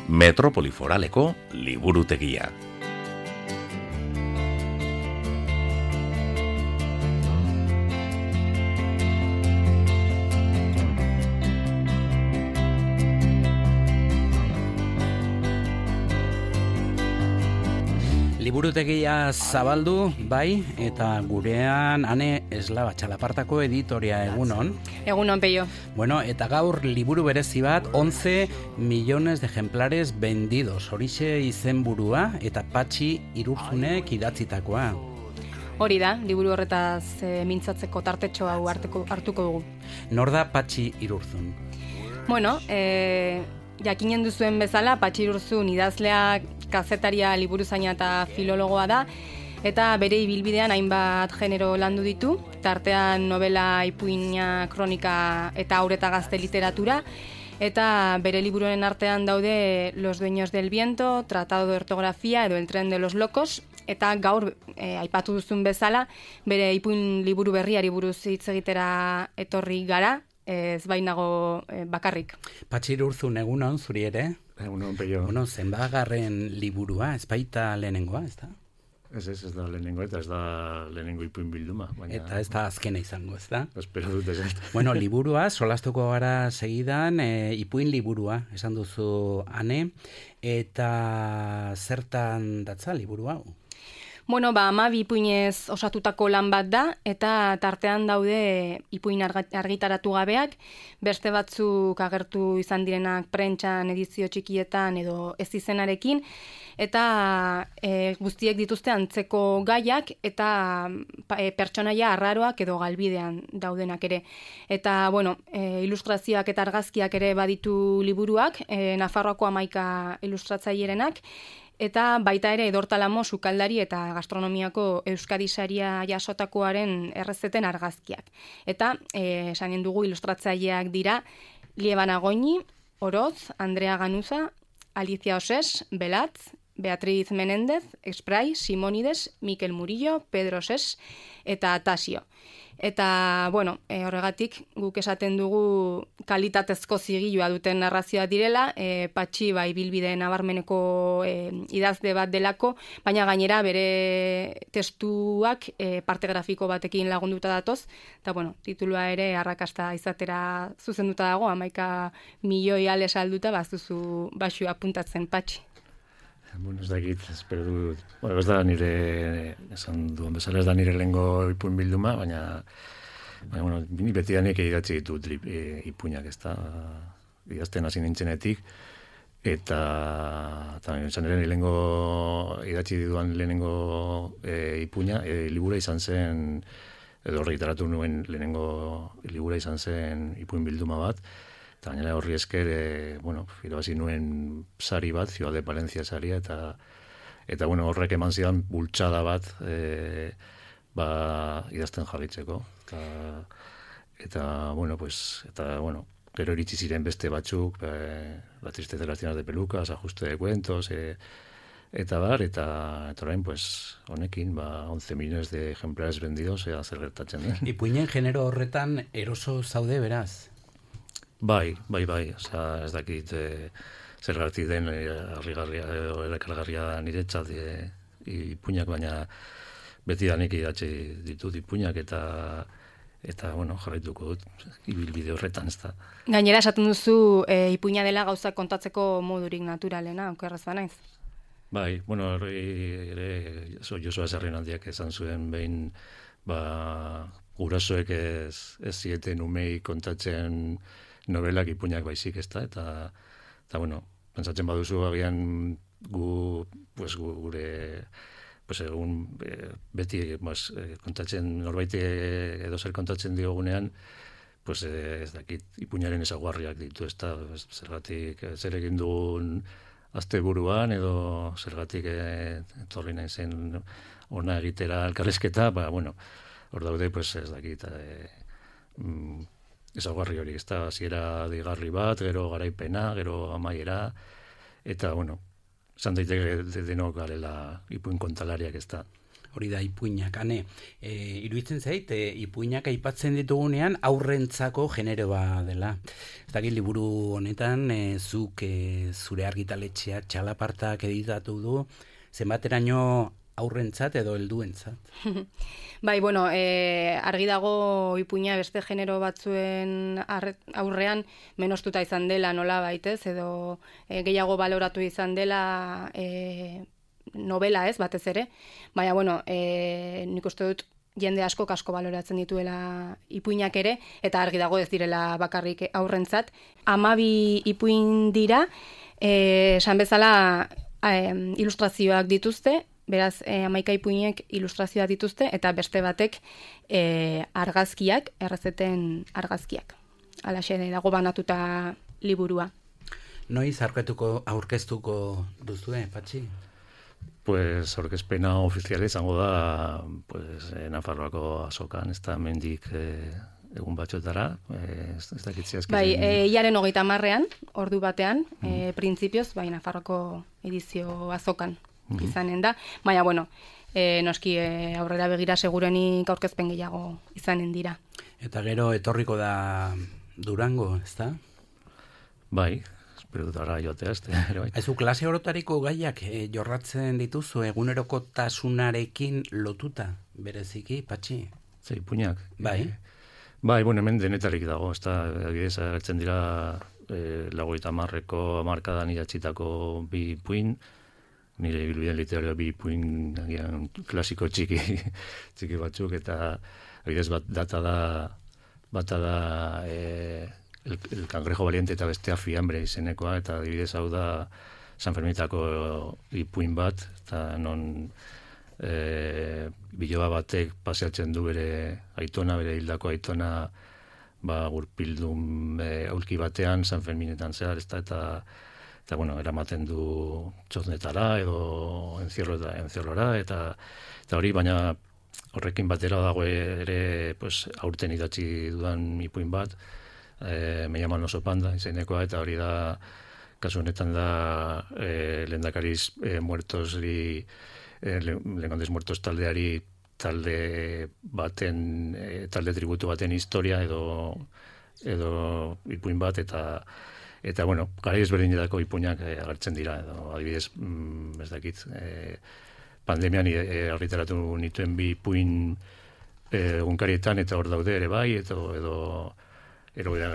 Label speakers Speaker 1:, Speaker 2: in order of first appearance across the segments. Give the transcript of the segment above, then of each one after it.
Speaker 1: Metropoli Foraleko liburutegia.
Speaker 2: Liburutegia zabaldu, bai, eta gurean Ane Eslaba Txalapartako editoria egunon.
Speaker 3: Egunon, Peio.
Speaker 2: Bueno, eta gaur liburu berezi bat, 11 millones de ejemplares vendidos. Horixe izenburua eta Patxi Irurzunek idatzitakoa.
Speaker 3: Hori da, liburu horretaz mintzatzeko tartetxo hau hartuko dugu.
Speaker 2: Nor da Patxi Irurzun?
Speaker 3: Bueno, jakinen duzuen bezala, Patxi Irurzun idazlea, kazetaria, liburuzaina eta filologoa da, eta bere ibilbidean hainbat genero landu ditu, tartean novela, ipuina, kronika eta haur eta gazte literatura, eta bere liburuaren artean daude Los dueños del viento, Tratado de ortografía edo El tren de los locos, eta gaur aipatu duzun bezala, bere ipuin liburu berriari buruz hitz egitera etorri gara, ez bainago bakarrik.
Speaker 2: Patxi Irurzun egunon, zuri ere?
Speaker 4: Egunon, Peio.
Speaker 2: Bueno, zenbagarren liburua, ez baita lehenengoa, ez da?
Speaker 4: Ez da lehenengoa, eta ez da lehenengo ipuin bilduma. Baina...
Speaker 2: Eta ez da azkena izango, ez da?
Speaker 4: Espero dut ez.
Speaker 2: Bueno, liburua, solastuko gara segidan, ipuin liburua, esan duzu Ane, eta zertan datza liburu hau?
Speaker 3: Bueno, 12 ipuinez osatutako lan bat da, eta tartean daude ipuin argitaratu gabeak, beste batzuk agertu izan direnak prentsan, edizio txikietan edo ez izenarekin, eta guztiek dituzte antzeko gaiak eta pertsonaia arraroak edo galbidean daudenak ere. Eta, bueno, ilustrazioak eta argazkiak ere baditu liburuak, Nafarroako 11 ilustratzailerenak, eta baita ere Edortalamo sukaldari eta gastronomiako Euskadi saria jasotakoaren errezeten argazkiak. Eta esanen dugu ilustratzaileak dira Liebana Goñi, Oroz, Andrea Ganuza, Alicia Osés, Belatz, Beatriz Menéndez, Esprai, Simónides, Mikel Murillo, Pedro Osés eta Tasio. Eta, bueno, horregatik guk esaten dugu kalitatezko zigilua duten narrazioa direla, Patxi bai bilbide nabarmeneko idazle bat delako, baina gainera bere testuak parte grafiko batekin lagunduta datoz, eta, bueno, titulua ere arrakasta izatera zuzenduta dago, 11 milioi ale salduta, bazuzu baxu apuntatzen, Patxi.
Speaker 4: Bueno, ez dakit, espero dut. Bueno, ez da nire, esan duen bezala, ez da nire lehengo ipuin bilduma, baina bueno, beti danik idatzi ditut ipuinak, ez da, idazten hasi nintzenetik, eta esan ere lehengo, idatzi dituan lehenengo ipuina, libura izan zen, edo argitaratu nuen lehenengo libura izan zen ipuin bilduma bat, eta gainera horri esker, irabazi nuen sari bat, Ciudad de Palencia saria, eta bueno, horrek eman zidan bultxada bat idazten jarritzeko. Eta gero iritsi ziren beste batzuk, La tristeza de las tiendas de pelucas, Ajuste de cuentos, eta orain, honekin, 11 millones de ejemplares vendidos, zer gertatzen den.
Speaker 2: Ipuinen genero horretan eroso zaude, beraz?
Speaker 4: Bai, osea, ez dakit zergatik den harrigarria edo erakargarria niretzat ipuinak, baina beti danik idatzi ditut ipuinak eta bueno, jarraituko dut ibilbide horretan, ez da.
Speaker 3: Gainera esaten duzu ipuina dela gauzak kontatzeko modurik naturalena, okerraz banaiz.
Speaker 4: Bai, bueno, ere Josua Sarrienaldiak esan zuen behin, gurasoek ez zieten umei kontatzen novelak ipuinak baizik, ez da, eta bueno, pentsatzen baduzu agian gure egun beti kontatzen norbait edo zer kontatzen diogunean, ez dakit ipuinaren ezaguarriak ditu, ez da, zergatik zer egin dugun asteburuan edo zergatik etorri nahi zen ona egitera elkarrizketa, hor daude, ez dakit, ezaugarri hori, ez da, hasiera deigarri bat, gero garaipena, gero amaiera, eta, esan daiteke denok garela ipuin kontalariak, ez da.
Speaker 2: Hori da ipuinak, ane. Iruditzen zait, ipuinak aipatzen ditugunean aurrentzako generoa dela. Ez dakit liburu honetan, zuk zure argitaletxeak txalapartak editatu du, zenbateraino aurrentzat edo helduentzat?
Speaker 3: Bai, bueno, argi dago ipuina beste genero batzuen aurrean menostuta izan dela nola baitez, edo gehiago baloratu izan dela novela ez, batez ere. Baina, bueno, nik uste dut jende asko baloratzen dituela ipuinak ere, eta argi dago ez direla bakarrik aurrentzat. 12 ipuin dira, esan bezala ilustrazioak dituzte, beraz 11 ipuinek ilustrazioak dituzte, eta beste batek argazkiak, errezeten argazkiak. Halaxe dago banatuta liburua.
Speaker 2: Noiz aurkeztuko duzue, Patxi?
Speaker 4: Pues aurkezpena ofiziala izango da Nafarroako azokan, ez da mendik egun batxotara, ez dakitzi azkizen.
Speaker 3: Bai, iaren 30ean, ordu batean, printzipioz, bai, Nafarroako edizio azokan izanen da. Baina, bueno, noski aurrera begira segurenik aurkezpen gehiago izanen dira.
Speaker 2: Eta gero etorriko da Durango, ez da?
Speaker 4: Bai, espero dut ara joatea, bai.
Speaker 2: Aizu, klase orotariko gaiak jorratzen dituzu egunerokotasunarekin lotuta, bereziki, Patxi?
Speaker 4: Zei, ipuinak?
Speaker 2: Bai.
Speaker 4: Bai, bueno, hemen denetarik dago, ez da, agidez, agertzen dira 50ko hamarkadan idatzitako 2 ipuin, nire ibilbide literario 2 ipuin agian klasiko txiki batzuk, eta agidez bata da el cangrejo valiente eta bestea fiambre izenekoa, eta adibidez hau da San Ferminetako ipuin bat, eta non biloba batek paseatzen du bere aitona, bere hildako aitona, gurpildun aulki batean San Ferminetan zehar, eta bueno, eramaten du txotnetara edo encierrora, eta hori, baina horrekin batera dago ere aurten idatzi dudan ipuin bat, me llaman oso panda izenekoa, eta hori da, kasu honetan da lehendakariz muertosri, Legandes muertos taldeari talde tributu baten historia edo ipuin bat, eta bueno, gara ezberdinetako ipuinak agertzen dira, edo adibidez, ez dakit, pandemian argitaratu nituen 2 ipuin egunkarietan, eta hor daude ere bai, edo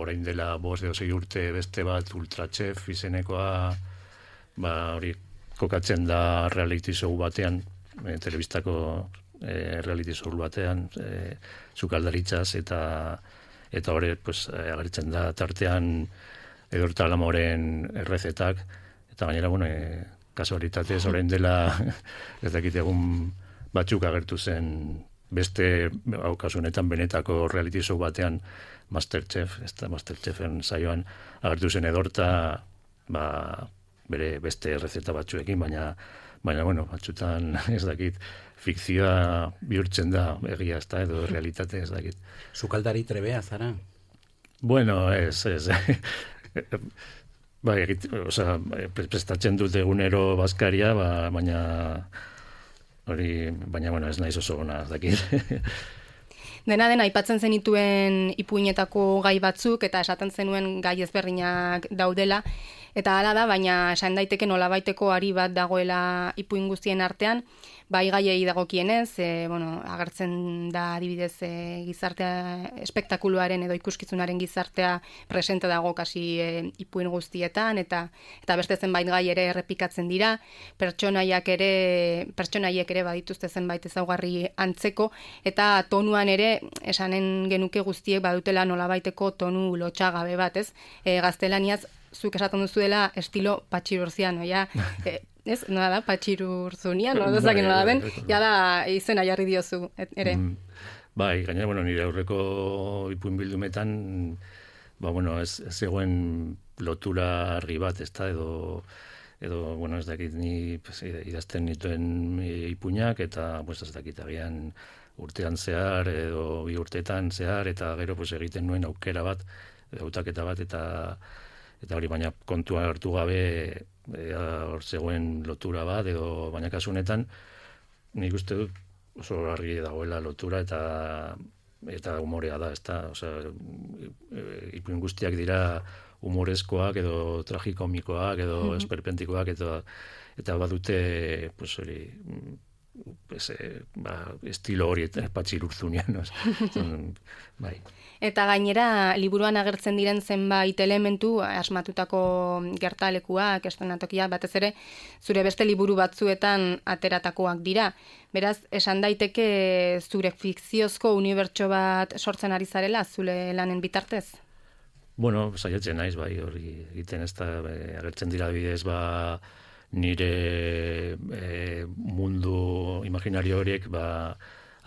Speaker 4: orain dela 5 edo 6 urte beste bat Ultrachef izenekoa, hori kokatzen da reality show batean, telebistako reality show batean, sukaldaritzaz, eta hori agertzen da tartean Edurta Alamoren errezetak, eta gainera, bueno, kasualitatez orain dela, ez dakit egun batzuk agertu zen beste, kasu honetan benetako reality show batean, Masterchef, ez da Masterchefen saioan agertu zen Edurta, bere beste errezeta batzuekin, baina bueno, batzutan ez dakit, fikzioa bihurtzen da egia, ez da, edo realitate, ez dakit.
Speaker 2: Sukaldari trebea, zara?
Speaker 4: Bueno, ez. Bai, prestatzen dut egunero bazkaria, baina bueno, ez naiz oso ona, ez dakit.
Speaker 3: Dena aipatzen zenituen ipuinetako gai batzuk, eta esaten zenuen gai ezberdinak daudela, eta hala da, baina esan daiteke nolabaiteko ari bat dagoela ipuin guztien artean, bai gaiei dagokienez, agertzen da adibidez gizartea, espektakuluaren edo ikuskizunaren gizartea presente dago kasi ipuin guztietan, eta beste zenbait gai ere errepikatzen dira, pertsonaiek ere badituzte zenbait ezaugarri antzeko, eta tonuan ere esanen genuke guztiek badutela nolabaiteko tonu lotxagabe bat, ez? Gaztelaniaz zuk esaten duzuela estilo patxirurziano, ja, ez, nola da, patxirurzunian, nola dezakin nola den, ja da izena jarri diozu, ere.
Speaker 4: Bai, gainera, bueno, nire aurreko ipuin bildumetan, ez zegoen lotura argi bat, ez da, edo, bueno, ez dakit ni idazten nituen ipuinak, eta, ez dakit agian urtean zehar, edo 2 urteetan zehar, eta gero egiten nuen aukera bat, hautaketa bat, eta hori baina kontua hartu gabe hor zegoen lotura bat, edo baina kasu honetan nik uste dut oso argi dagoela lotura eta umorea da, ezta, osea, ipuin guztiak dira humorezkoak edo tragikomikoak edo esperpentikoak eta badute pues hori pues, estilo hori Patxi Urzunean, bai.
Speaker 3: Eta gainera, liburuan agertzen diren zenbait elementu, asmatutako gertalekuak, eszenatokiak, batez ere, zure beste liburu batzuetan ateratakoak dira. Beraz, esan daiteke zure fikziozko unibertso bat sortzen ari zarela, zure lanen bitartez?
Speaker 4: Bueno, saiatzen naiz, bai, hori egiten ez da, agertzen dira bidez, nire mundu imaginario horiek,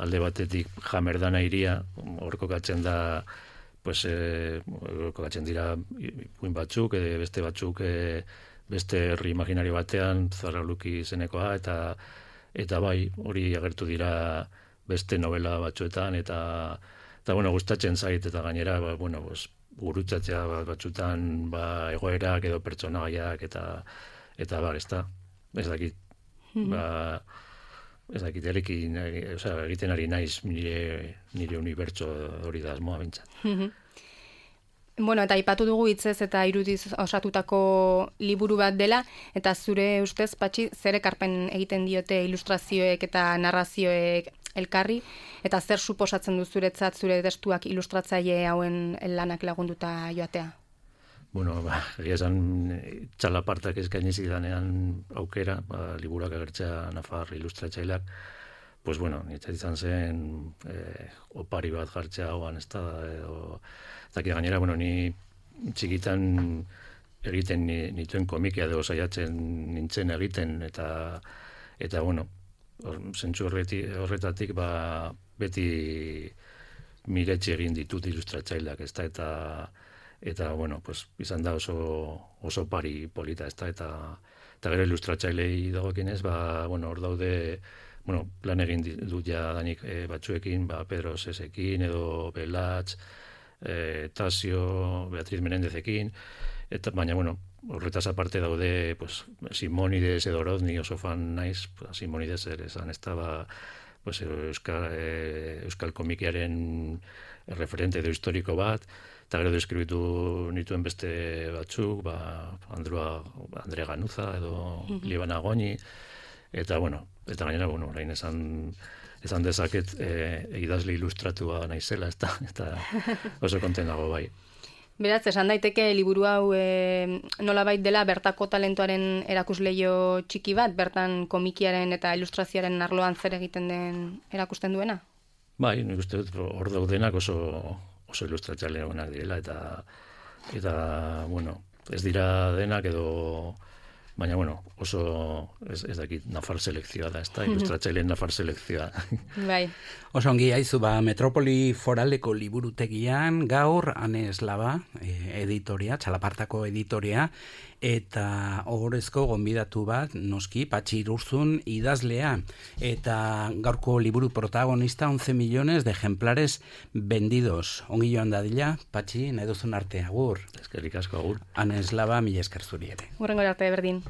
Speaker 4: alde batetik Jamerdana iria, hor kokatzen da, pues, kokatzen dira ipuin batzuk, beste batzuk, beste herri imaginario batean, Zarraluki izenekoa, eta bai, hori agertu dira beste novela batzuetan, eta bueno, gustatzen zait, eta gainera, bueno, pues, gurutzatzea batzutan, egoerak edo pertsonaiak, eta ez dakit, ez dakit, egiten ari naiz nire unibertso hori da asmoa bintzat.
Speaker 3: Bueno, eta aipatu dugu hitzez eta irudiz osatutako liburu bat dela, eta zure ustez, Patxi, zer ekarpen egiten diote ilustrazioek eta narrazioek elkarri, eta zer suposatzen du zuretzat zure testuak ilustratzaile hauen lanak lagunduta joatea?
Speaker 4: Bueno, egia esan txalapartak eskaini zidanean aukera, liburuak agertzea Nafar ilustratzaileak, pues bueno, niretzat izan zen opari bat jartzea hauan, ez da, eta gainera, bueno, ni txikitan egiten nituen komikia edo saiatzen nintzen egiten, eta bueno, zentzu horretatik beti miretsi egin ditut ilustratzaileak, ez da, eta bueno, pues, izan da oso pari polita, ez da, eta gero ilustratzailei dagoekinez, bueno, hor daude, bueno, plan egin dut ja danik batzuekin, Pedro Sesekin, edo Belatz, Tasio, Beatriz Menendezekin, eta baina, bueno, horretaz aparte daude, pues, Simonides edo Rodni oso fan naiz, Simonides ere esan, ez da, pues, euskal komikiaren referente edo historiko bat, eta gero deskribitu nituen beste batzuk, Andre Ganuza edo Libana Goñi, eta bueno, eta gainera, bueno, orain esan dezaket idazle ilustratua naizela, eta oso konten dago bai.
Speaker 3: Beraz, esan daiteke liburu hau nolabait dela bertako talentuaren erakusleio txiki bat, bertan komikiaren eta ilustrazioaren arloan zer egiten den erakusten duena?
Speaker 4: Bai, nik uste dut hor daudenak oso ilustratzaile onak direla, eta bueno, ez dira denak edo, baina bueno, oso ez dakit Nafar selekzioa da, ez da, ilustratzaileen Nafar selekzioa.
Speaker 3: Bai.
Speaker 2: Oso ongi haizu, Metropoli Foraleko liburutegian gaur Anes Laba, editoria, txalapartako editoria, eta ohorezko gonbidatu bat, noski, Patxi Urzun idazlea, eta gaurko liburu protagonista 11 millones de ejemplares vendidos. Ongi joan dadila, Patxi, nahi duzun arte, agur.
Speaker 4: Eskerrik asko, agur.
Speaker 2: Anes Laba, mila esker zuri ere.
Speaker 3: Hurrengo arte, berdin.